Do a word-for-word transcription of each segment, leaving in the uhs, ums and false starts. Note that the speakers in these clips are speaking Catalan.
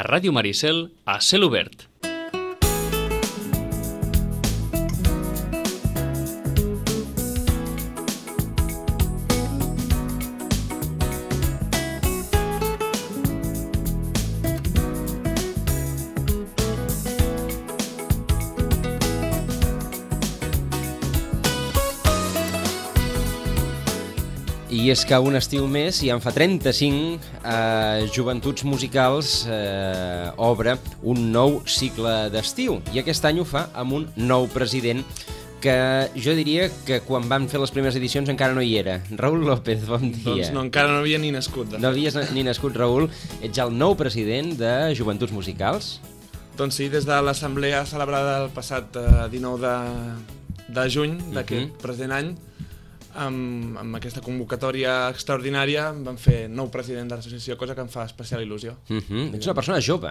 A Ràdio Maricel, a cel obert. I és que un estiu més, i en fa trenta-cinc, eh, Joventuts Musicals eh, obre un nou cicle d'estiu. I aquest any ho fa amb un nou president que jo diria que quan van fer les primeres edicions encara no hi era. Raül López, bon dia. Doncs no, encara no havia ni nascut. De no havies ni nascut, Raül. Ets el nou president de Joventuts Musicals? Doncs sí, des de l'assemblea celebrada el passat eh, dinou de, de juny d'aquest uh-huh. present any, amb, amb aquesta convocatòria extraordinària vam fer nou president de l'associació, cosa que em fa especial il·lusió. Uh-huh. Ets una persona jove.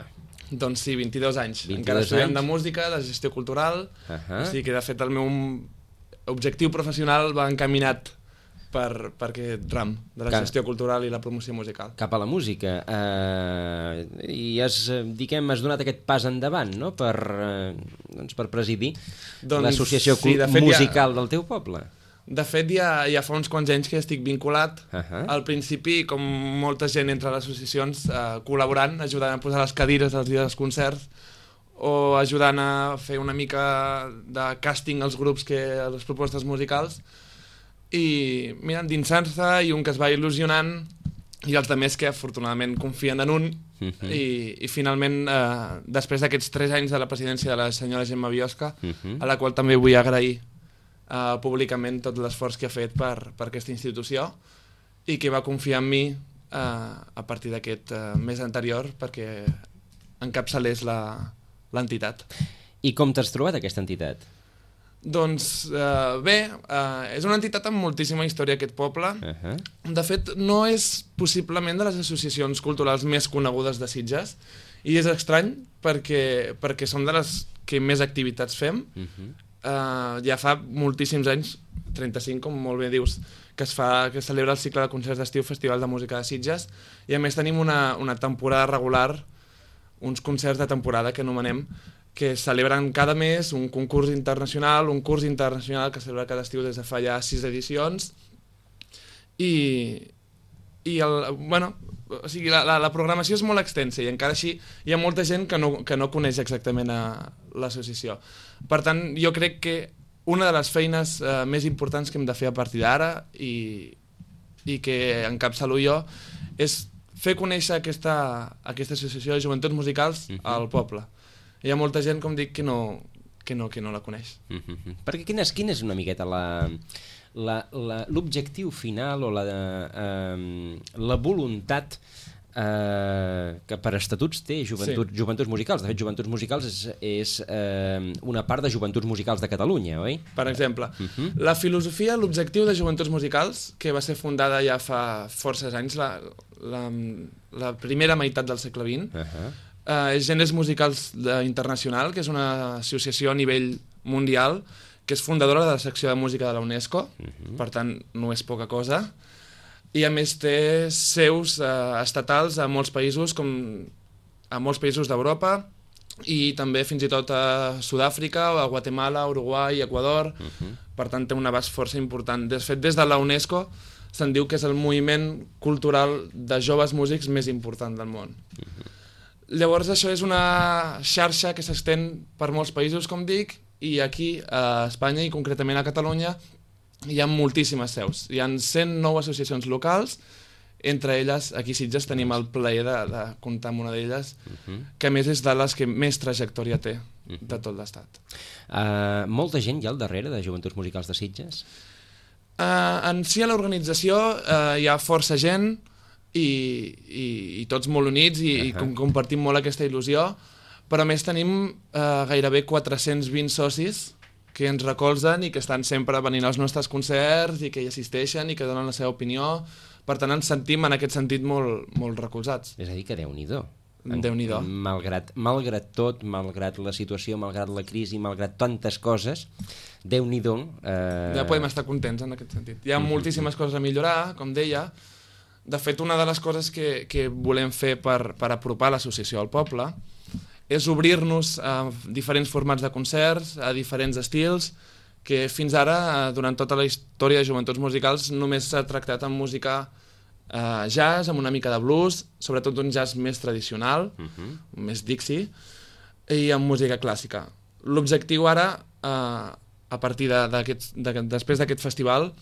Doncs sí, vint-i-dos anys. vint-i-dos Encara estudiant anys. de música, de gestió cultural, uh-huh. o sigui que de fet el meu objectiu professional va encaminat per, per aquest ram de la Car... gestió cultural i la promoció musical. Cap a la música. Uh, I has, diguem, has donat aquest pas endavant, no?, per, uh, doncs per presidir doncs, l'associació sí, musical ja... del teu poble. De fet, ja, ja fa uns quants anys que estic vinculat. Uh-huh. Al principi, com molta gent entre les associacions, eh, col·laborant, ajudant a posar les cadires als dies dels concerts o ajudant a fer una mica de càsting als grups, que, a les propostes musicals. I, mira, endinsant-se, i un que es va il·lusionant, i els altres que afortunadament confien en un. Uh-huh. I, i finalment, eh, després d'aquests tres anys de la presidència de la senyora Gemma Biosca, uh-huh. a la qual també vull agrair Uh, públicament tot l'esforç que ha fet per, per aquesta institució i que va confiar en mi uh, a partir d'aquest uh, mes anterior perquè encapçalés l'entitat. I com t'has trobat aquesta entitat? Doncs uh, bé, uh, és una entitat amb moltíssima història, aquest poble. Uh-huh. De fet, no és possiblement de les associacions culturals més conegudes de Sitges i és estrany perquè, perquè som de les que més activitats fem. Uh-huh. Uh, ja fa moltíssims anys, trenta-cinc, com molt bé dius, que es fa, que es celebra el cicle de concerts d'estiu Festival de Música de Sitges, i a més tenim una, una temporada regular, uns concerts de temporada que anomenem, que celebren cada mes un concurs internacional, un curs internacional que es celebra cada estiu des de fa ja sis edicions, i, i el, bueno, o sigui, la, la, la programació és molt extensa i encara així hi ha molta gent que no, que no coneix exactament a l'associació. Per tant, jo crec que una de les feines eh, més importants que hem de fer a partir d'ara i, i que encapçalo jo és fer conèixer aquesta, aquesta associació de joventuts musicals uh-huh. al poble. Hi ha molta gent, com dic, que no, que no, que no la coneix. Uh-huh. Perquè quina és, quina és una miqueta la... l'objectiu final o la, eh, la voluntat eh, que per estatuts té Joventuts, sí. Joventuts Musicals. De fet, Joventuts Musicals és, és eh, una part de Joventuts Musicals de Catalunya, oi? Per exemple, uh-huh. la filosofia, l'objectiu de Joventuts Musicals, que va ser fundada ja fa forces anys, la, la, la primera meitat del segle vint, uh-huh. eh, és Gèneres Musicals Internacional, que és una associació a nivell mundial, que és fundadora de la secció de música de la UNESCO, uh-huh. per tant no és poca cosa, i a més té seus eh, estatals a molts països, com a molts països d'Europa, i també fins i tot a Sud-àfrica, a Guatemala, Uruguai, Equador, uh-huh. per tant té un abast força important. De fet, des de la UNESCO se'n diu que és el moviment cultural de joves músics més important del món. Uh-huh. Llavors això és una xarxa que s'estén per molts països, com dic, i aquí a Espanya i concretament a Catalunya hi ha moltíssimes seus. Hi ha cent nou associacions locals, entre elles aquí a Sitges tenim el plaer de, de comptar amb una d'elles, uh-huh. que a més és de les que més trajectòria té uh-huh. de tot l'estat. Uh, molta gent hi ha al darrere de Joventuts Musicals de Sitges? Uh, en si a l'organització uh, hi ha força gent i, i, i tots molt units i, uh-huh. i com, compartim molt aquesta il·lusió, però a més tenim eh, gairebé quatre-cents vint socis que ens recolzen i que estan sempre venint als nostres concerts i que hi assisteixen i que donen la seva opinió. Per tant, ens sentim en aquest sentit molt, molt recolzats. És a dir, que Déu-n'hi-do. Déu-n'hi-do. Malgrat, malgrat tot, malgrat la situació, malgrat la crisi, malgrat tantes coses, Déu-n'hi-do. Eh... Ja podem estar contents en aquest sentit. Hi ha moltíssimes coses a millorar, com deia, De fet, una de les coses que, que volem fer per, per apropar l'associació al poble és obrir-nos a diferents formats de concerts, a diferents estils, que fins ara, durant tota la història de Joventuts Musicals, només s'ha tractat amb música eh, jazz, amb una mica de blues, sobretot un jazz més tradicional, uh-huh. més Dixie, i amb música clàssica. L'objectiu ara, eh, a partir de, de, després d'aquest festival,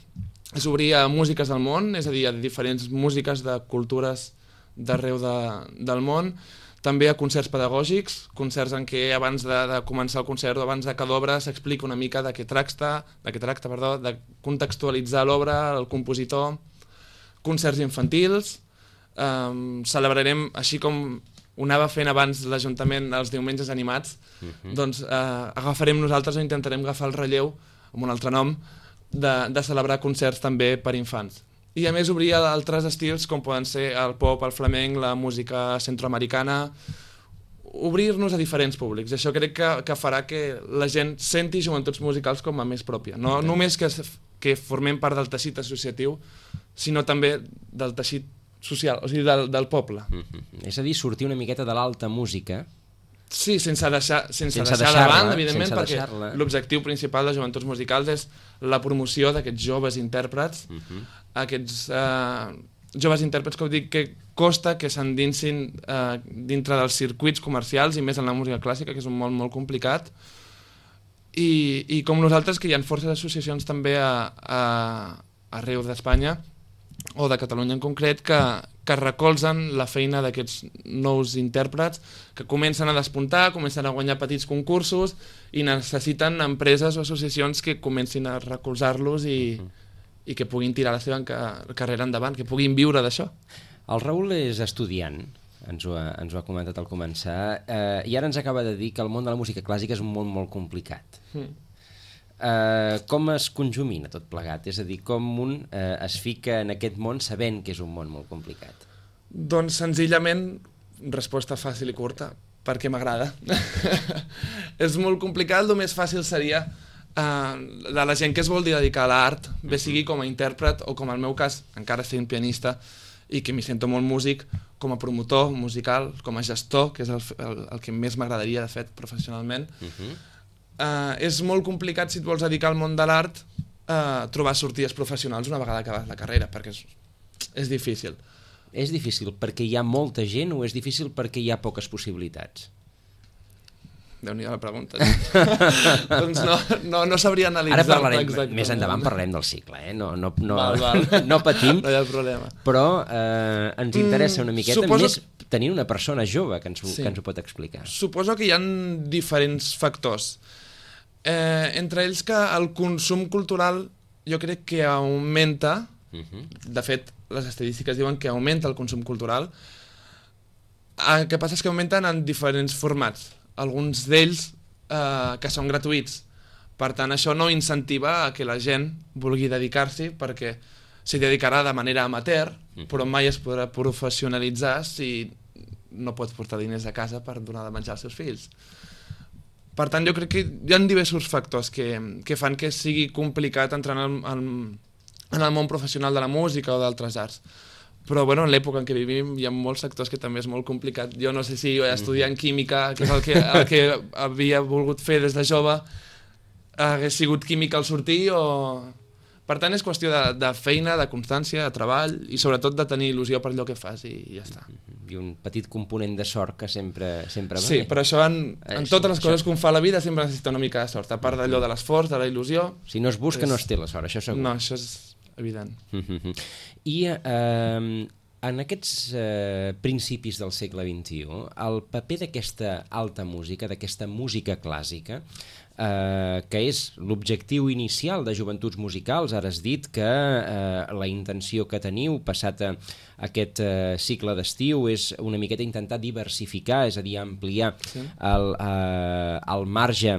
és obrir a músiques del món, és a dir, a diferents músiques de cultures d'arreu de, del món, també a concerts pedagògics, concerts en què abans de, de començar el concert o abans de cada obra s'explica una mica de què tracta, de què tracta, perdó, de contextualitzar l'obra, el compositor, concerts infantils, um, celebrarem, així com ho anava fent abans l'Ajuntament els diumenges animats, uh-huh. doncs uh, agafarem nosaltres o intentarem agafar el relleu, amb un altre nom, de, de celebrar concerts també per infants. I a més obrir altres estils com poden ser el pop, el flamenc, la música centroamericana, obrir-nos a diferents públics. Això crec que, que farà que la gent senti Joventuts Musicals com a més pròpia. No okay. només que, que formem part del teixit associatiu, sinó també del teixit social, o sigui, del, del poble. Mm-hmm. És a dir, sortir una miqueta de l'alta música. Sí, sense deixar, sense sense deixar de banda, evidentment, perquè l'objectiu principal de Joventuts Musicals és la promoció d'aquests joves intèrprets, uh-huh. aquests uh, joves intèrprets que, dic, que costa que s'endinsin uh, dintre dels circuits comercials i més en la música clàssica, que és un món molt complicat, i, i com nosaltres, que hi ha forces associacions també a, a, arreu d'Espanya, o de Catalunya en concret, que, que recolzen la feina d'aquests nous intèrprets que comencen a despuntar, comencen a guanyar petits concursos i necessiten empreses o associacions que comencin a recolzar-los i, uh-huh. i que puguin tirar la seva carrera endavant, que puguin viure d'això. El Raül és estudiant, ens ho ha, ens ho ha comentat al començar, eh, i ara ens acaba de dir que el món de la música clàssica és un món molt complicat. Mm. Uh, com es conjumina tot plegat? És a dir, com un uh, es fica en aquest món sabent que és un món molt complicat? Doncs senzillament, resposta fàcil i curta, perquè m'agrada. És molt complicat, el més fàcil seria uh, de la gent que es vol dedicar a l'art, bé sigui com a intèrpret o com al meu cas, encara sent pianista i que m'hi sento molt músic, com a promotor musical, com a gestor, que és el, el, el que més m'agradaria, de fet, professionalment. Uh-huh. Uh, és molt complicat, si et vols dedicar al món de l'art, uh, trobar sortides professionals una vegada acabes la carrera, perquè és, és difícil. És difícil perquè hi ha molta gent o és difícil perquè hi ha poques possibilitats? Déu-n'hi-do la pregunta. Doncs no, no, no sabria analitzar. Ara parlarem, exactament. Més endavant parlarem del cicle, eh? no, no, no, val, val. no patim, no hi ha problema. Però eh, ens interessa una miqueta, Suposo... més tenint una persona jove que ens, sí. que ens ho pot explicar. Suposo que hi ha diferents factors. Eh, entre ells que el consum cultural jo crec que augmenta, uh-huh. de fet les estadístiques diuen que augmenta el consum cultural, el que passa és que augmenten en diferents formats, alguns d'ells eh, que són gratuïts, per tant això no incentiva a que la gent vulgui dedicar-s'hi perquè s'hi dedicarà de manera amateur, uh-huh. però mai es podrà professionalitzar si no pots portar diners a casa per donar de menjar als seus fills. Per tant, jo crec que hi ha diversos factors que, que fan que sigui complicat entrar en el, en, en el món professional de la música o d'altres arts. Però bueno, en l'època en què vivim hi ha molts sectors que també és molt complicat. Jo no sé si jo estudiant química, que és el que, el que havia volgut fer des de jove, hagués sigut química al sortir o... Per tant, és qüestió de, de feina, de constància, de treball i sobretot de tenir il·lusió per allò que fas i, i ja està. I un petit component de sort que sempre, sempre va sí, bé. però això en, en totes les això... coses que un fa a la vida sempre necessita una mica de sort, a part d'allò de l'esforç, de la il·lusió... Si no es busca és... no es té la sort, això segur. No, això és evident. I eh, en aquests eh, principis del segle vint-i-u, el paper d'aquesta alta música, d'aquesta música clàssica, Uh, que és l'objectiu inicial de Joventuts Musicals. Ara has dit que uh, la intenció que teniu passat a aquest uh, cicle d'estiu és una miqueta intentar diversificar, és a dir, ampliar sí. el, uh, el marge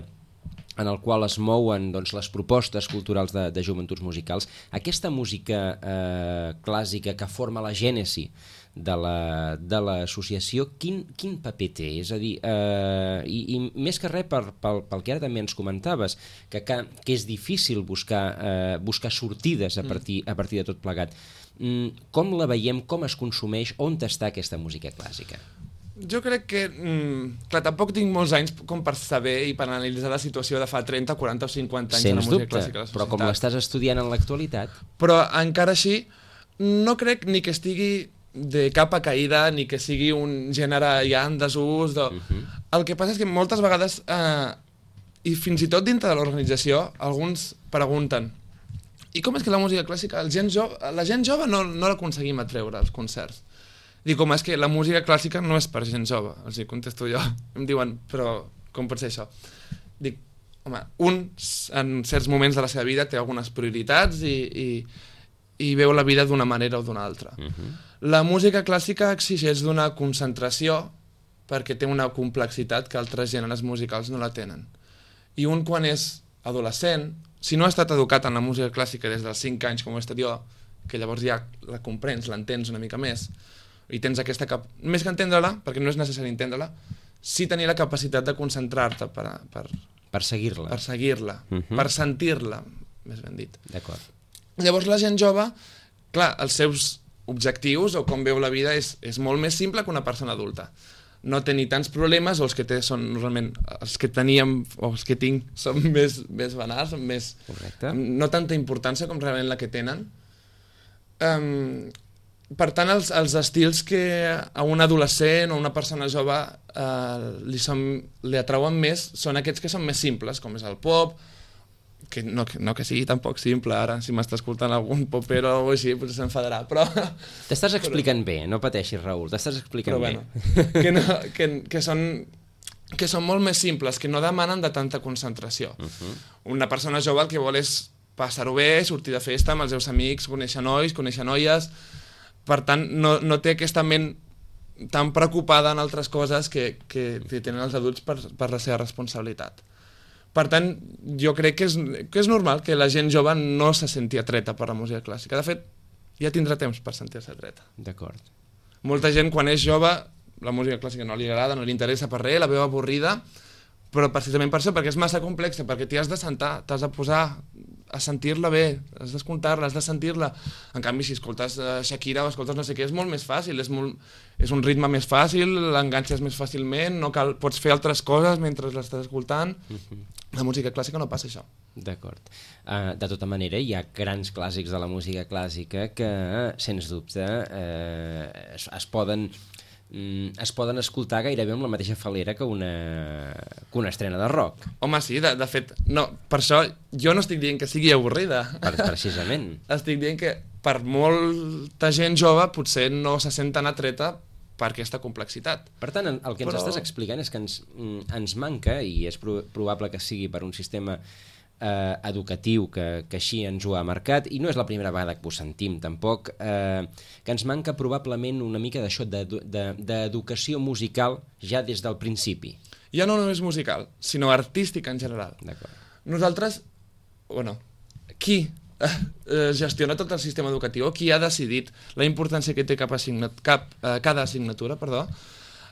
en el qual es mouen doncs, les propostes culturals de, de Joventuts Musicals. Aquesta música uh, clàssica que forma la gènesi de la, de l'associació, quin, quin paper té? És a dir, eh, i, i més que res per, pel, pel que ara també ens comentaves, que, que, que és difícil buscar, eh, buscar sortides a partir, a partir de tot plegat. com la veiem, com es consumeix, on està aquesta música clàssica? Jo crec que, mm, clar, tampoc tinc molts anys com per saber i per analitzar la situació de fa trenta, quaranta o cinquanta anys de la música clàssica a la societat. Però com l'estàs estudiant en l'actualitat... Però encara així, no crec ni que estigui de capa caïda, ni que sigui un gènere ja en desús. De... Uh-huh. El que passa és que moltes vegades, eh, i fins i tot dintre de l'organització, alguns pregunten i com és que la música clàssica, el gent jove, la gent jove no, no l'aconseguim atreure als concerts? Dic, com és que la música clàssica no és per gent jove, els hi contesto jo. Em diuen, però com pot ser això? Dic, home, un en certs moments de la seva vida té algunes prioritats i, i, i veu la vida d'una manera o d'una altra. Uh-huh. La música clàssica exigeix d'una concentració perquè té una complexitat que altres gèneres musicals no la tenen. I un quan és adolescent, si no ha estat educat en la música clàssica des dels cinc anys com ho he estat jo, que llavors ja la comprens, l'entens una mica més, i tens aquesta cap... més que entendre-la, perquè no és necessari entendre-la, sí tenir la capacitat de concentrar-te per, per... per seguir-la. Per seguir-la, uh-huh. per sentir-la, més ben dit. D'acord. Llavors la gent jove, clar, els seus objectius o com veu la vida és, és molt més simple que una persona adulta. No té ni tants problemes, o els que té són normalment els que teníem o els que tinc són més, més banals, són més... Correcte. No tanta importància com realment la que tenen. Um, per tant, els, els estils que a un adolescent o una persona jove uh, li, són, li atrauen més són aquests que són més simples, com és el pop, que no, que no que sigui tampoc simple, ara, si m'està escoltant algun popero o així, potser s'enfadarà, però... T'estàs explicant però... bé, no pateixis, Raül, t'estàs explicant però, bé. Bueno, que, no, que, que, són, que són molt més simples, que no demanen de tanta concentració. Uh-huh. Una persona jove el que vol és passar-ho bé, sortir de festa amb els seus amics, conèixer nois, conèixer noies, per tant, no, no té aquesta ment tan preocupada en altres coses que, que, que tenen els adults per, per la seva responsabilitat. Per tant, jo crec que és, que és normal que la gent jove no se senti atreta per la música clàssica. De fet, ja tindrà temps per sentir-se atreta. D'acord. Molta gent, quan és jove, la música clàssica no li agrada, no li interessa per res, la veu avorrida, però precisament per això, perquè és massa complexa, perquè t'hi has de sentar, t'has de posar a sentir-la bé, has d'escoltar-la, has de sentir-la. En canvi, si escoltes uh, Shakira o escoltes no sé què, és molt més fàcil, és, molt, és un ritme més fàcil, l'enganxes més fàcilment, no cal, pots fer altres coses mentre l'estàs escoltant. Uh-huh. La música clàssica no passa això. D'acord. Uh, de tota manera, hi ha grans clàssics de la música clàssica que, sens dubte, uh, es, es poden... es poden escoltar gairebé amb la mateixa falera que una, que una estrena de rock. Home, sí, de, de fet, no, per això jo no estic dient que sigui avorrida. Per, precisament. Estic dient que per molta gent jove potser no se sent tan atreta per aquesta complexitat. Per tant, el que ens Però... estàs explicant és que ens, ens manca, i és probable que sigui per un sistema eh, educatiu que, que així ens ho ha marcat, i no és la primera vegada que ho sentim tampoc, eh, que ens manca probablement una mica d'això d'educació de, musical ja des del principi. Ja no només musical, sinó artística en general. Nosaltres, bueno, qui eh, gestiona tot el sistema educatiu, qui ha decidit la importància que té cap assignat, cap, eh, cada assignatura, perdó,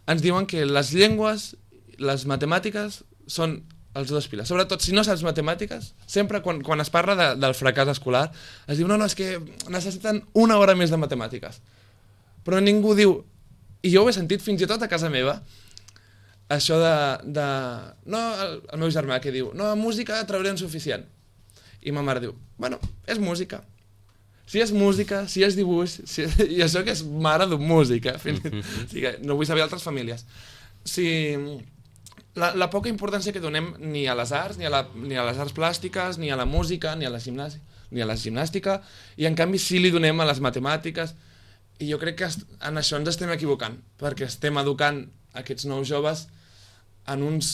ens diuen que les llengües, les matemàtiques són els dos piles. Sobretot, si no saps matemàtiques, sempre quan, quan es parla de, del fracàs escolar, es diu, no, no, és que necessiten una hora més de matemàtiques. Però ningú diu, i jo ho he sentit fins i tot a casa meva, això de... de no, el, el meu germà que diu, no, música traurem suficient. I ma mare diu, bueno, és música. Si és música, si és dibuix, si, i això que és mare d'un músic, eh? Fins, o sigui, no vull saber altres famílies. Si... La, la poca importància que donem ni a les arts, ni a, la, ni a les arts plàstiques, ni a la música, ni a la gimnàstica, ni a la gimnàstica, i en canvi sí li donem a les matemàtiques, i jo crec que en això ens estem equivocant, perquè estem educant aquests nous joves en uns...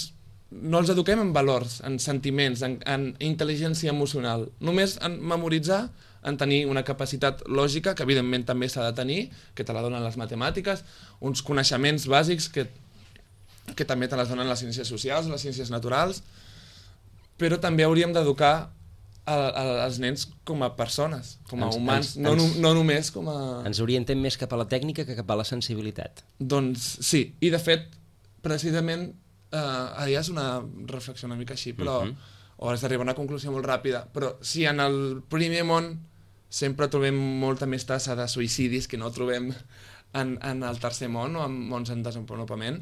No els eduquem en valors, en sentiments, en, en intel·ligència emocional, només en memoritzar, en tenir una capacitat lògica, que evidentment també s'ha de tenir, que te la donen les matemàtiques, uns coneixements bàsics que que també te les donen les ciències socials, les ciències naturals, però també hauríem d'educar els nens com a persones, com a ens, humans, ens, no, ens, no només com a... Ens orientem més cap a la tècnica que cap a la sensibilitat. Doncs sí, i de fet, precisament, eh, ara ja és una reflexió una mica així, però, uh-huh. o has d'arribar a una conclusió molt ràpida, però si en el primer món sempre trobem molta més tassa de suïcidis que no trobem en, en el tercer món o en mons en desenvolupament,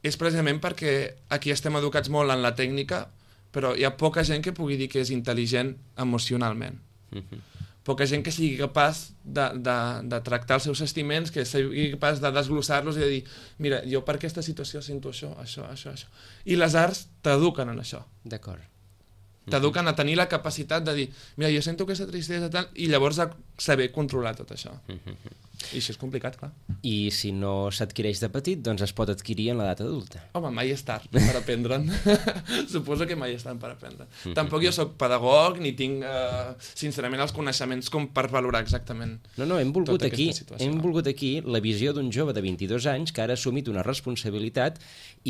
és precisament perquè aquí estem educats molt en la tècnica, però hi ha poca gent que pugui dir que és intel·ligent emocionalment. Mm-hmm. Poca gent que sigui capaç de, de, de tractar els seus sentiments, que sigui capaç de desglossar-los i de dir, mira, jo per aquesta situació sento això, això, això, això. I les arts t'eduquen en això. D'acord. T'eduquen a tenir la capacitat de dir, mira, jo sento aquesta tristesa tal, i llavors a saber controlar tot això. Mm-hmm. I això és complicat, clar. I si no s'adquireix de petit, doncs es pot adquirir en l'edat adulta. Home, mai és tard per aprendre'n. Suposo que mai és tard per aprendre. Mm-hmm. Tampoc jo sóc pedagog ni tinc, eh, sincerament, els coneixements com per valorar exactament. No, no, hem volgut aquí, hem volgut aquí la visió d'un jove de vint-i-dos anys que ara ha assumit una responsabilitat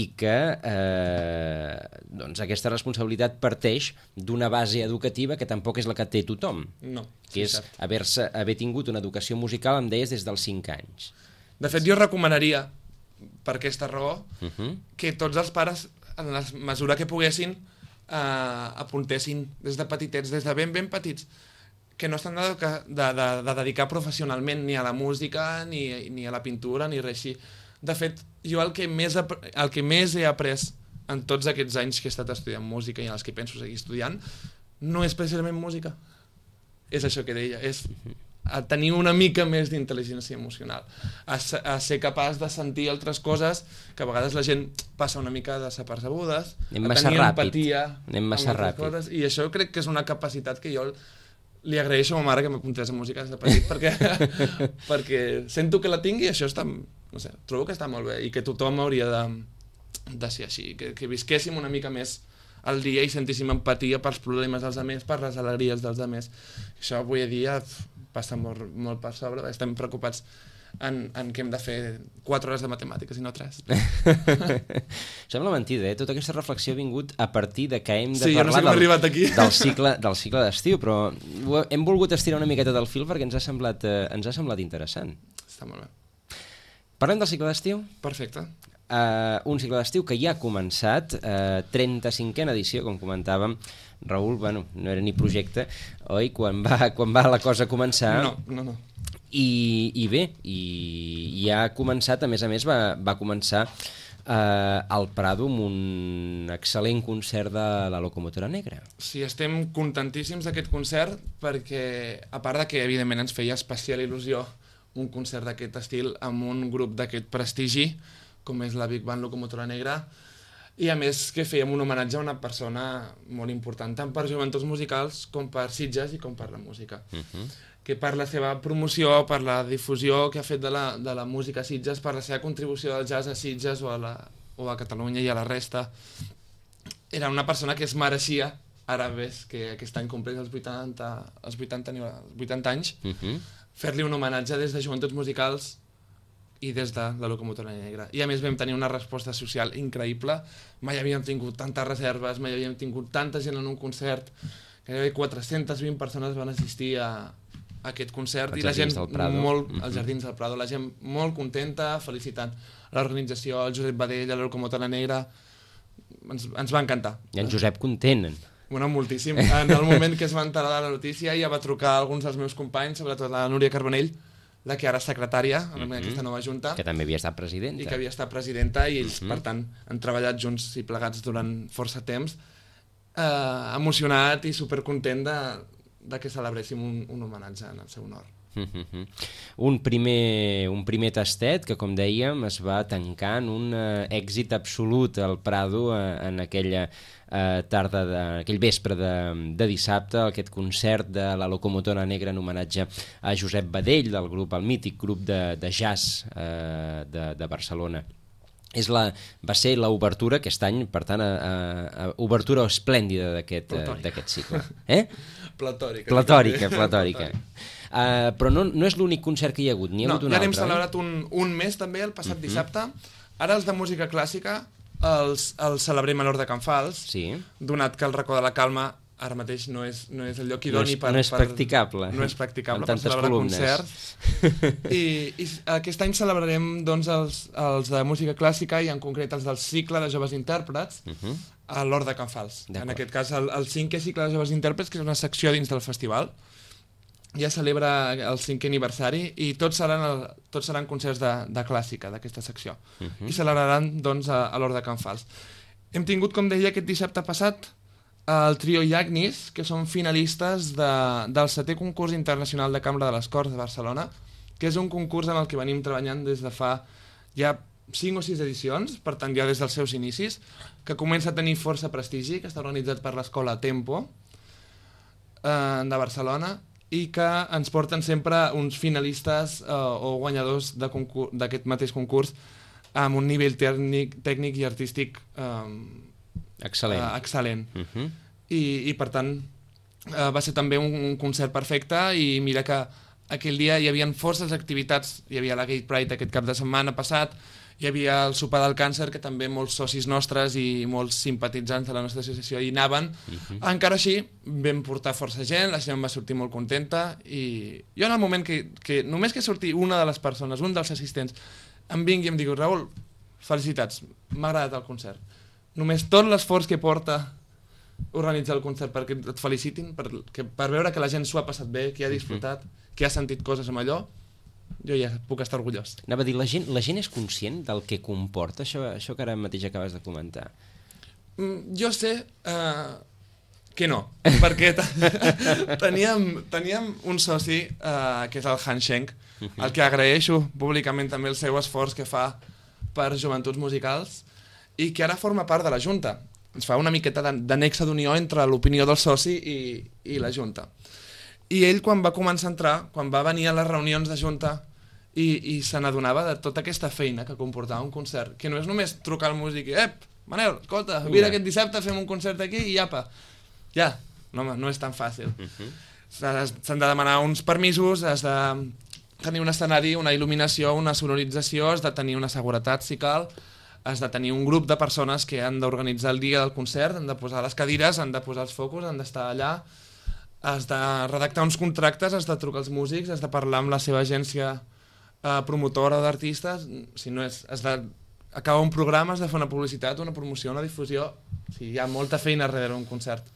i que eh, doncs aquesta responsabilitat parteix d'una base educativa que tampoc és la que té tothom. No. Que és haver-se haver tingut una educació musical, em deies, des dels cinc anys. De fet, jo recomanaria, per aquesta raó, uh-huh. que tots els pares, en la mesura que poguessin, eh, apuntessin des de petitets, des de ben, ben petits, que no estan de, de, de, de dedicar professionalment ni a la música, ni, ni a la pintura, ni res així. De fet, jo el que més, el que més he après en tots aquests anys que he estat estudiant música i en els que penso seguir estudiant, no és precisament música. És això que deia, és a tenir una mica més d'intel·ligència emocional, a, a ser capaç de sentir altres coses que a vegades la gent passa una mica desapercebudes, anem a tenir ràpid. empatia anem massa ràpid. Coses, i això crec que és una capacitat que jo li agraeixo a ma mare que m'apuntés a música des de petit, perquè, perquè sento que la tingui i això està, no sé, trobo que està molt bé i que tothom hauria de, de ser així, que, que visquéssim una mica més al dia i sentíssim empatia pels problemes dels altres, per les alegries dels altres. Això avui dia passa molt, molt per sobre, estem preocupats en, en que hem de fer quatre hores de matemàtiques i no tres. Sembla mentida, eh? Tota aquesta reflexió ha vingut a partir de que hem de sí, parlar no sé del, arribat aquí. del cicle del cicle d'estiu, però hem volgut estirar una miqueta del fil perquè ens ha semblat, eh, ens ha semblat interessant. Està molt bé. Parlem del cicle d'estiu? Perfecte. Uh, un cicle d'estiu que ja ha començat, uh, trenta-cinquena edició, com comentàvem. Raül, bueno, no era ni projecte, oi? Quan va, quan va la cosa començar... No, no, no. I, i bé, i, i ha començat, a més a més, va, va començar uh, al Prado amb un excel·lent concert de la Locomotora Negra. Sí, estem contentíssims d'aquest concert perquè, a part de que, evidentment, ens feia especial il·lusió un concert d'aquest estil amb un grup d'aquest prestigi, com és la Big Band Locomotora Negra, i a més que fèiem un homenatge a una persona molt important, tant per joventuts musicals com per Sitges i com per la música. Uh-huh. Que per la seva promoció, per la difusió que ha fet de la, de la música a Sitges, per la seva contribució del jazz a Sitges o a, la, o a Catalunya i a la resta, era una persona que es mereixia, ara ves que aquest any compleix els vuitanta, els vuitanta, els vuitanta anys, uh-huh. fer-li un homenatge des de joventuts musicals i des de la Locomotora Negra. I a més vam tenir una resposta social increïble, mai havíem tingut tantes reserves, mai havíem tingut tanta gent en un concert, gairebé quatre-centes vint persones van assistir a, a aquest concert, i la gent molt, als Jardins del Prado, la gent molt contenta, felicitant l'organització, el Josep Badell, la Locomotora Negra, ens, ens va encantar. I en Josep content. Bueno, moltíssim. En el moment que es va enterar de la notícia ja va trucar a alguns dels meus companys, sobretot la Núria Carbonell, la que ara és secretària en mm-hmm. aquesta nova junta. Que també havia estat presidenta. I que havia estat presidenta, i ells, mm-hmm. per tant, han treballat junts i plegats durant força temps, eh, emocionat i supercontent de, de que celebréssim un, un homenatge en el seu honor. Mm-hmm. Un primer, un primer tastet que, com dèiem, es va tancar en un uh, èxit absolut al Prado uh, en aquella uh, tarda, de, aquell vespre de, de dissabte, aquest concert de la Locomotora Negra en homenatge a Josep Badell, del grup, el mític grup de, de jazz uh, de, de Barcelona. És la, va ser l'obertura aquest any, per tant, a, a, a obertura esplèndida d'aquest uh, cicle. Eh? Platòrica. Platòrica, platòrica. Uh, però no, no és l'únic concert que hi ha hagut, n'hi ha no, hagut un ja altre. Ja n'hem celebrat un, un mes també, el passat uh-huh. dissabte. Ara els de música clàssica els, els celebrem a l'Hort de Can Fals, sí. donat que el Racó de la Calma ara mateix no és, no és el lloc idoni no és, per... No és practicable. Per, no és practicable per celebrar columnes. concerts. I, I aquest any celebrarem doncs, els, els de música clàssica, i en concret els del cicle de joves intèrprets, uh-huh. a l'Hort de Can Fals. En aquest cas, el, el cinquè cicle de joves intèrprets, que és una secció dins del festival, ja celebra el cinquè aniversari i tots seran, el, tots seran concerts de, de clàssica d'aquesta secció. Uh -huh. I celebraran doncs, a, a l'Hort de Can Fals. Hem tingut, com deia, aquest dissabte passat el trio Iagnis, que són finalistes de, del setè concurs internacional de Cambra de les Corts de Barcelona, que és un concurs en el que venim treballant des de fa ja cinc o sis edicions, per tant ja des dels seus inicis, que comença a tenir força prestigi, que està organitzat per l'escola Tempo eh, de Barcelona, i que ens porten sempre uns finalistes eh, o guanyadors d'aquest mateix concurs amb un nivell tècnic, tècnic i artístic eh, excel·lent. Eh, excel·lent. Uh -huh. I, I per tant eh, va ser també un, un concert perfecte i mira que aquell dia hi havia forces activitats, hi havia la Gay Pride aquest cap de setmana passat, hi havia el sopar del càncer, que també molts socis nostres i molts simpatitzants de la nostra associació hi anaven. Uh-huh. Encara així, vam portar força gent, la gent va sortir molt contenta, i jo en el moment que, que només que surti una de les persones, un dels assistents, em vingui i em digui, Raül, felicitats, m'ha agradat el concert. Només tot l'esforç que porta organitzar el concert perquè et felicitin, per, que, per veure que la gent s'ho ha passat bé, que ha disfrutat, uh-huh. que ha sentit coses amb allò, jo ja puc estar orgullós. Anava a dir, la gent, la gent és conscient del que comporta això, això que ara mateix acabes de comentar? Mm, jo sé uh, que no, perquè teníem, teníem un soci, uh, que és el Han Schenk, uh-huh. al que agraeixo públicament també el seu esforç que fa per Joventuts Musicals i que ara forma part de la Junta. Ens fa una miqueta de, de nexe d'unió entre l'opinió del soci i, i la Junta. I ell, quan va començar a entrar, quan va venir a les reunions de Junta i, i se n'adonava de tota aquesta feina que comportava un concert, que no és només trucar al músic i «Ep, Manel, escolta, vine aquest dissabte, fem un concert aquí i apa». Ja, no, no és tan fàcil. Uh-huh. S'han de demanar uns permisos, has de tenir un escenari, una il·luminació, una sonorització, has de tenir una seguretat, si cal, has de tenir un grup de persones que han d'organitzar el dia del concert, han de posar les cadires, han de posar els focus, han d'estar allà, has de redactar uns contractes, has de trucar als músics, has de parlar amb la seva agència eh, promotora d'artistes, si no és, has d'acabar un programa, has de fer una publicitat, una promoció, una difusió, o sigui, hi ha molta feina darrere un concert.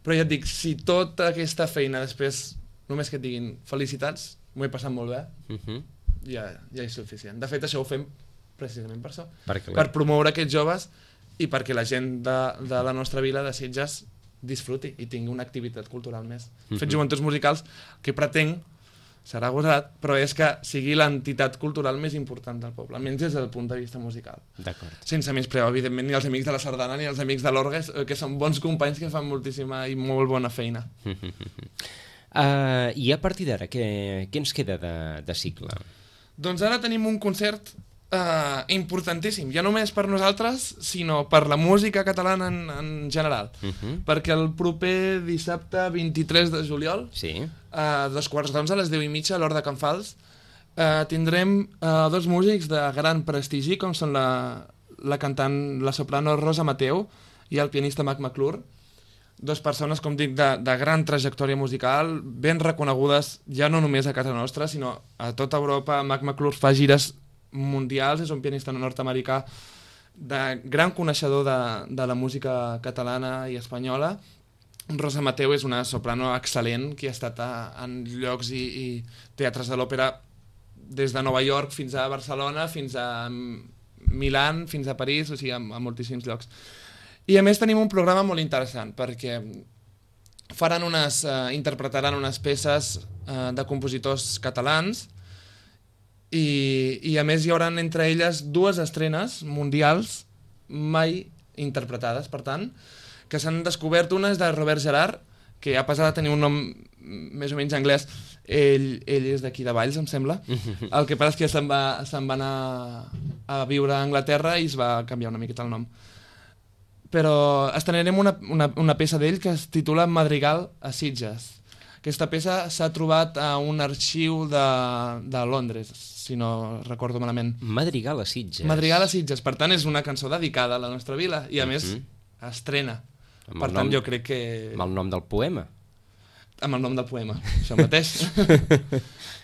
Però ja et dic, si tota aquesta feina després, només que et diguin felicitats, m'ho he passat molt bé, uh-huh. ja, ja és suficient. De fet, això ho fem precisament per això, perquè per promoure aquests joves i perquè la gent de, de la nostra vila de Sitges disfruti i tingui una activitat cultural més. Uh-huh. Fet Joventuts Musicals, que pretenc, serà gosat, però és que sigui l'entitat cultural més important del poble, almenys des del punt de vista musical. D'acord. Sense més preu, evidentment, ni els amics de la Sardana ni els amics de l'Orgue, que són bons companys que fan moltíssima i molt bona feina. uh, I a partir d'ara, què, què ens queda de, de cicle? Doncs ara tenim un concert Uh, importantíssim, ja no només per nosaltres, sinó per la música catalana en, en general. Uh-huh. Perquè el proper dissabte vint-i-tres de juliol, sí. a dos quarts d'onze, a les deu i mitja, a l'Hort de Can Fals, uh, tindrem uh, dos músics de gran prestigi, com són la, la cantant, la soprano Rosa Mateu i el pianista Mac McClure, dos persones, com dic, de, de gran trajectòria musical, ben reconegudes ja no només a casa nostra, sinó a tota Europa. Mac McClure fa gires mundials, és un pianista nord-americà de gran coneixedor de, de la música catalana i espanyola. Rosa Mateu és una soprano excel·lent que ha estat a, en llocs i, i teatres de l'òpera des de Nova York fins a Barcelona, fins a Milà, fins a París, o sigui, a, a moltíssims llocs. I a més tenim un programa molt interessant perquè faran unes, eh, interpretaran unes peces eh, de compositors catalans. I, i a més hi haurà entre elles dues estrenes mundials mai interpretades, per tant, que s'han descobert. Una és de Robert Gerard, que ha passat a tenir un nom més o menys anglès. Ell, ell és d'aquí de Valls, em sembla. El que passa és que se'n va, se'n va anar a viure a Anglaterra i es va canviar una miqueta el nom. Però estrenarem una, una, una peça d'ell que es titula Madrigal a Sitges. Aquesta peça s'ha trobat a un arxiu de, de Londres, si no recordo malament. Madrigal a Sitges. Madrigal a Sitges, per tant és una cançó dedicada a la nostra vila i a uh-huh. més estrena. Amb per tant nom, jo crec que... Amb el nom del poema. Amb el nom del poema, això mateix.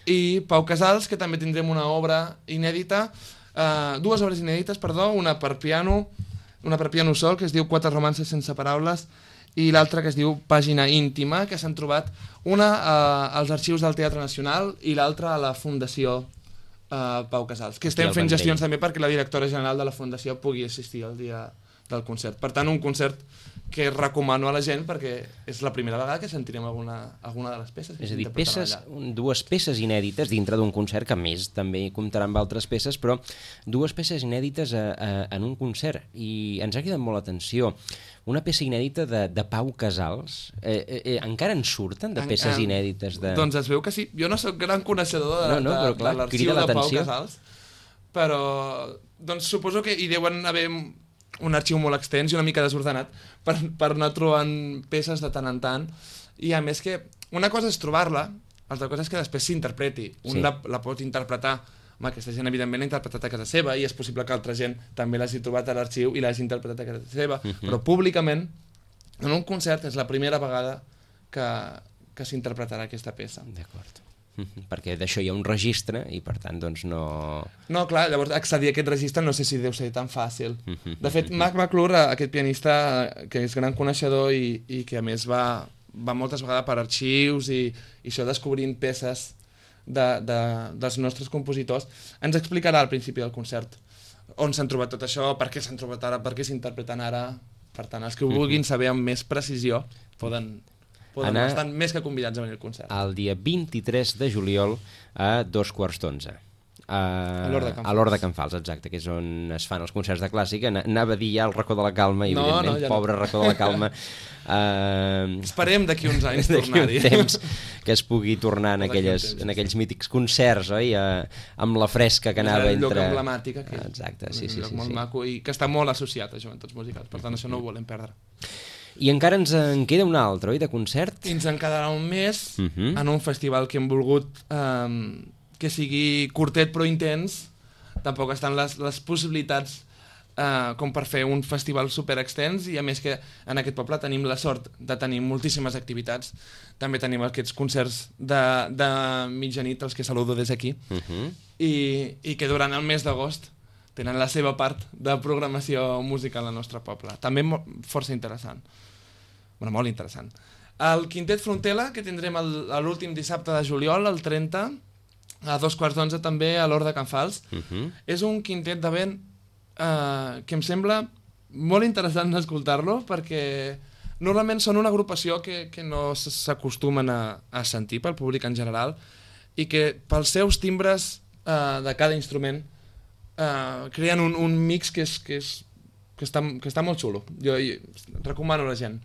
I Pau Casals, que també tindrem una obra inèdita, uh, dues obres inèdites, perdó, una per piano, una per piano sol, que es diu Quatre romances sense paraules, i l'altra que es diu Pàgina Íntima, que s'han trobat una eh, als arxius del Teatre Nacional i l'altra a la Fundació eh, Pau Casals, que estem fent gestions també perquè la directora general de la Fundació pugui assistir al dia del concert. Per tant, un concert que recomano a la gent perquè és la primera vegada que sentirem alguna, alguna de les peces. És a dir, peces, dues peces inèdites dintre d'un concert, que a més també comptarà amb altres peces, però dues peces inèdites a, a, en un concert. I ens ha cridat molt l'atenció. Una peça inèdita de, de Pau Casals. Eh, eh, eh, encara en surten de peces en, inèdites? De... Doncs es veu que sí. Jo no sóc gran coneixedor de, no, no, de, clar, de l'arxiu de Pau Casals, però doncs suposo que hi deuen haver un arxiu molt extens i una mica desordenat per, per anar trobant peces de tant en tant, i a més que una cosa és trobar-la, altra cosa és que després s'interpreti. Un sí. la, la pot interpretar, home, aquesta gent evidentment l'ha interpretat a casa seva i és possible que altra gent també l'hagi trobat a l'arxiu i l'hagi interpretat a casa seva, uh -huh. però públicament en un concert és la primera vegada que, que s'interpretarà aquesta peça. D'acord. Perquè d'això hi ha un registre i per tant doncs no... No, clar, llavors accedir a aquest registre no sé si deu ser tan fàcil. De fet, Marc McClure, aquest pianista que és gran coneixedor i, i que a més va, va moltes vegades per arxius i, i això descobrint peces de, de, dels nostres compositors, ens explicarà al principi del concert on s'han trobat tot això, per què s'han trobat ara, per què s'interpreten ara. Per tant, els que ho vulguin saber amb més precisió poden... Poden estar més que convidats a venir al concert. El dia vint-i-tres de juliol a dos quarts d'onze. A l'Hort de Can Fals, exacte, que és on es fan els concerts de clàssica. Anava a dir ja el racó de la calma, i no, evidentment, no, ja pobre no. racó de la calma. uh, Esperem d'aquí uns anys tornar-hi. D'aquí un temps que es pugui tornar en, aquelles, en aquells mítics concerts, oi? Uh, amb la fresca que anava entre... Un lloc emblemàtic, aquí. Exacte, sí, sí. Un lloc sí, molt sí. maco i que està molt associat a joventuts musicals, per tant això no ho volem perdre. I encara ens en queda un altre, oi, de concert? I ens en quedarà un mes uh -huh. en un festival que hem volgut eh, que sigui curtet però intens. Tampoc estan les, les possibilitats eh, com per fer un festival super extens, i a més que en aquest poble tenim la sort de tenir moltíssimes activitats. També tenim aquests concerts de, de mitjanit, els que saludo des d'aquí, uh -huh. i, i que durant el mes d'agost tenen la seva part de programació musical al nostre poble. També força interessant. Bueno, molt interessant. El Quintet Frontela, que tindrem l'últim dissabte de juliol, el trenta, a dos quarts d'onze també a l'Hort de Can Fals. Uh -huh. És un quintet de vent eh, que em sembla molt interessant escoltar-lo, perquè normalment són una agrupació que, que no s'acostumen a, a sentir pel públic en general, i que pels seus timbres eh, de cada instrument Uh, creen un, un mix que, és, que, és, que, està, que està molt xulo. Jo, jo recomano a la gent.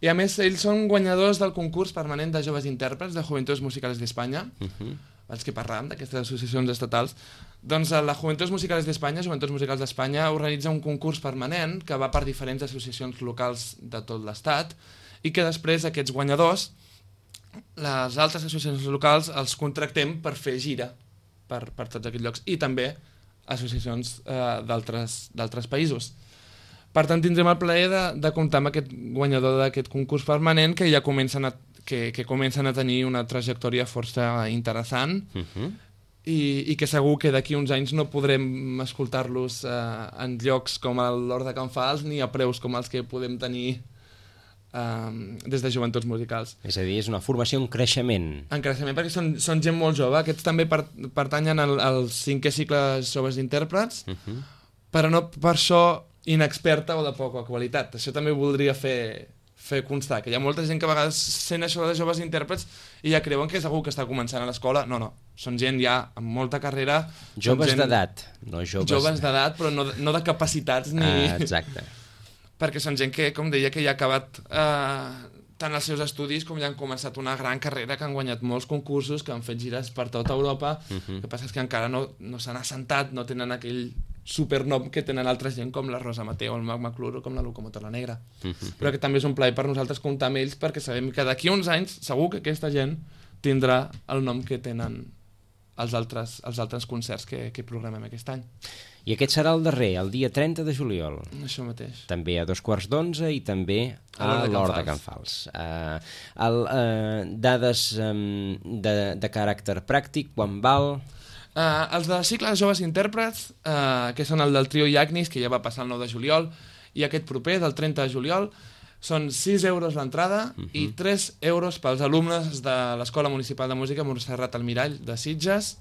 I a més, ells són guanyadors del concurs permanent de joves intèrprets de Juventudes Musicales d'Espanya, uh -huh. abans que parlàvem d'aquestes associacions estatals. Doncs la Juventudes Musicales d'Espanya, Joventuts Musicals d'Espanya, organitza un concurs permanent que va per diferents associacions locals de tot l'estat, i que després aquests guanyadors, les altres associacions locals, els contractem per fer gira per, per tots aquests llocs, i també associacions eh, d'altres països. Per tant, tindrem el plaer de, de comptar amb aquest guanyador d'aquest concurs permanent, que ja comencen a, que, que comencen a tenir una trajectòria força interessant, uh -huh. i, i que segur que d'aquí uns anys no podrem escoltar-los eh, en llocs com l'Hort de Can Fals, ni a preus com els que podem tenir Um, des de Joventuts Musicals. És a dir, és una formació en creixement. En creixement, perquè són, són gent molt jove. Aquests també per, pertanyen al, al cinquè cicle joves d'intèrprets, uh -huh. però no per això inexperta o de poca qualitat. Això també voldria fer, fer constar, que hi ha molta gent que a vegades sent això de joves intèrprets i ja creuen que és algú que està començant a l'escola. No, no, són gent ja amb molta carrera. Joves gent... d'edat, no joves... Joves d'edat, però no, no de capacitats ni... Ah, exacte. Perquè són gent que, com deia, que ja ha acabat eh, tant els seus estudis com ja han començat una gran carrera, que han guanyat molts concursos, que han fet gires per tota Europa. Uh-huh. El que passa és que encara no, no s'han assentat, no tenen aquell supernom que tenen altra gent com la Rosa Mateo, el Marc McClure o com la Locomotora Negra. Uh-huh. Però que també és un plaer per nosaltres comptar amb ells, perquè sabem que d'aquí uns anys segur que aquesta gent tindrà el nom que tenen els altres, els altres concerts que, que programem aquest any. I aquest serà el darrer, el dia trenta de juliol. Això mateix. També a dos quarts d'onze i també a l'Hort de Can Fals. Uh, el, uh, dades um, de, de caràcter pràctic, quan val? Uh, els de cicle de joves intèrprets, uh, que són el del trio Iagnis, que ja va passar el nou de juliol, i aquest proper, del trenta de juliol, Són sis euros l'entrada uh -huh. i tres euros pels alumnes de l'Escola Municipal de Música Montserrat Almirall de Sitges,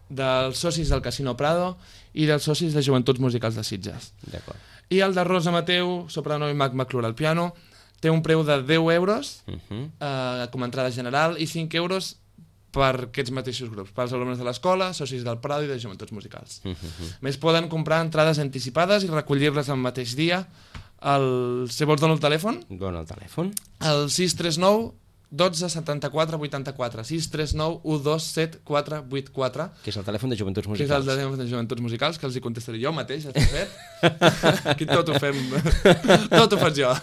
dels socis del Casino Prado i dels socis de Joventuts Musicals de Sitges. D'acord. I el de Rosa Mateu, soprano i Mac McClure al piano, té un preu de deu euros uh -huh. eh, com a entrada general i cinc euros per aquests mateixos grups, pels alumnes de l'escola, socis del Prado i de Joventuts Musicals. Uh -huh. Més poden comprar entrades anticipades i recollir-les el mateix dia. El... Si vols donar el telèfon? Dona el telèfon. El sis tres nou dotze setanta-quatre vuitanta-quatre, sis tres nou u dos set quatre vuit quatre. Que és el telèfon de Joventuts Musicals. Que és el telèfon de Joventuts Musicals, que els hi contestaré jo mateix, ja t'he fet. Aquí tot ho fem, tot ho faig jo.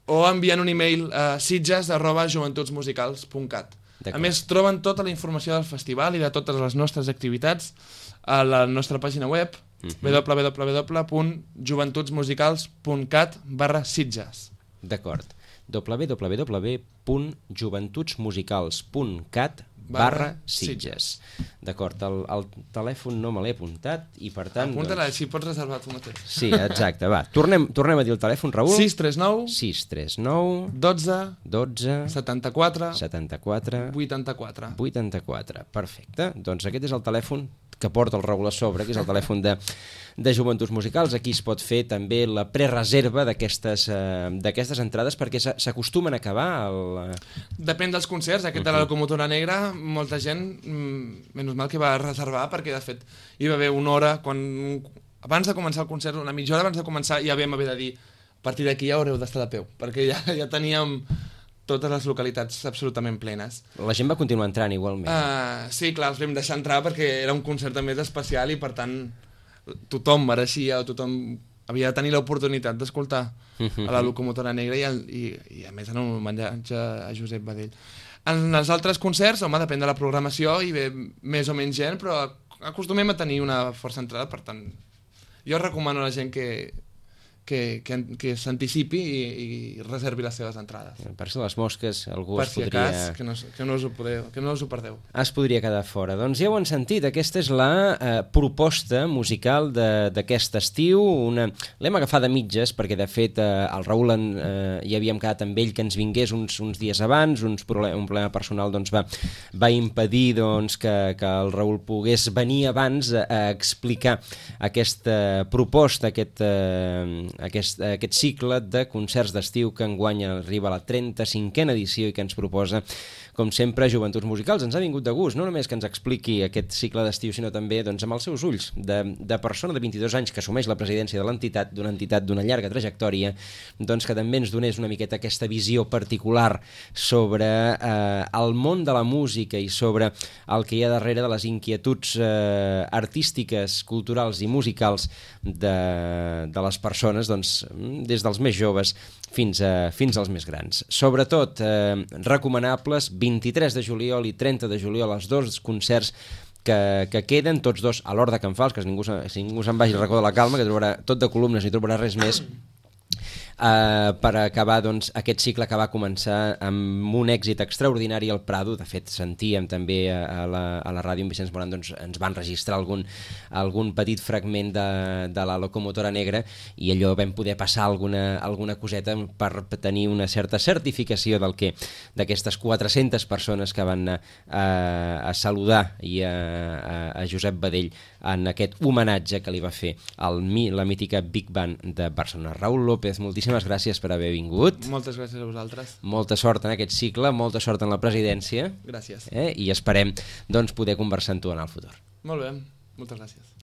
O enviant un e-mail a sitges arroba joventutsmusicals punt cat. A més, troben tota la informació del festival i de totes les nostres activitats a la nostra pàgina web, uh-huh. w w w punt joventutsmusicals punt cat barra sitges. D'acord. w w w punt joventutsmusicals punt cat barra Sitges. D'acord, el, el telèfon no me l'he apuntat i per tant... Apunta-la, doncs... així pots reservar tu mateix. Sí, exacte, va. Tornem, tornem a dir el telèfon, Raül. sis tres nou sis tres nou dotze dotze setanta-quatre setanta-quatre vuitanta-quatre. vuitanta-quatre. Perfecte. Doncs aquest és el telèfon que porta el Raül a sobre, que és el telèfon de, de Joventuts Musicals. Aquí es pot fer també la prereserva d'aquestes eh, d'aquestes entrades perquè s'acostumen a acabar el... Depèn dels concerts. Aquest de la Locomotora Negra, molta gent, mm, menys mal que va reservar, perquè de fet hi va haver una hora, quan abans de començar el concert, una mitja hora abans de començar, ja vam haver de dir, a partir d'aquí ja haureu d'estar de peu, perquè ja, ja teníem totes les localitats absolutament plenes. La gent va continuar entrant igualment. Uh, sí, clar, els vam deixar entrar perquè era un concert més especial i per tant tothom mereixia o tothom havia de tenir l'oportunitat d'escoltar a la Locomotora Negra i, el, i, i a més en un homenatge a Josep Badell. En els altres concerts, home, depèn de la programació i ve més o menys gent, però acostumem a tenir una força entrada, per tant jo recomano a la gent que que, que, que s'anticipi i, i reservi les seves entrades. Per si les mosques algú per es si podria... cas, que no, que, no us ho podeu, que no us ho perdeu. Es podria quedar fora. Doncs ja ho han sentit, aquesta és la eh, proposta musical d'aquest estiu. Una... L'hem agafat de mitges perquè de fet eh, el Raül en, eh, ja havíem quedat amb ell que ens vingués uns, uns dies abans, uns problem, un problema personal doncs, va, va impedir doncs, que, que el Raül pogués venir abans a, a explicar aquesta proposta, aquest... Eh, Aquest, aquest cicle de concerts d'estiu que enguany arriba a la trenta-cinquena edició i que ens proposa, com sempre, Joventuts Musicals. Ens ha vingut de gust, no només que ens expliqui aquest cicle d'estiu, sinó també doncs, amb els seus ulls de, de persona de vint-i-dos anys que assumeix la presidència de l'entitat, d'una entitat d'una llarga trajectòria, doncs que també ens donés una miqueta aquesta visió particular sobre eh, el món de la música i sobre el que hi ha darrere de les inquietuds eh, artístiques, culturals i musicals de, de les persones, doncs, des dels més joves fins, a, fins als més grans. Sobretot, eh, recomanables, vint-i-tres de juliol i trenta de juliol, els dos concerts que, que queden, tots dos a l'Hort de Can Fals, que ningú, si ningú se'n vagi al racó de la Calma, que trobarà tot de columnes, ni trobarà res més, Uh, per acabar doncs, aquest cicle que va començar amb un èxit extraordinari al Prado. De fet, sentíem també a, a, la, a la ràdio en Vicenç Moran, doncs, ens van registrar algun, algun petit fragment de, de la Locomotora Negra i allò vam poder passar alguna, alguna coseta per tenir una certa certificació del que d'aquestes quatre-centes persones que van anar a, a saludar i a, a, a Josep Badell en aquest homenatge que li va fer al, la mítica Big Band de Barcelona. Raül López, moltíssimes gràcies per haver vingut. Moltes gràcies a vosaltres. Molta sort en aquest cicle, molta sort en la presidència. Gràcies. Eh? I esperem doncs, poder conversar amb tu en el futur. Molt bé, moltes gràcies.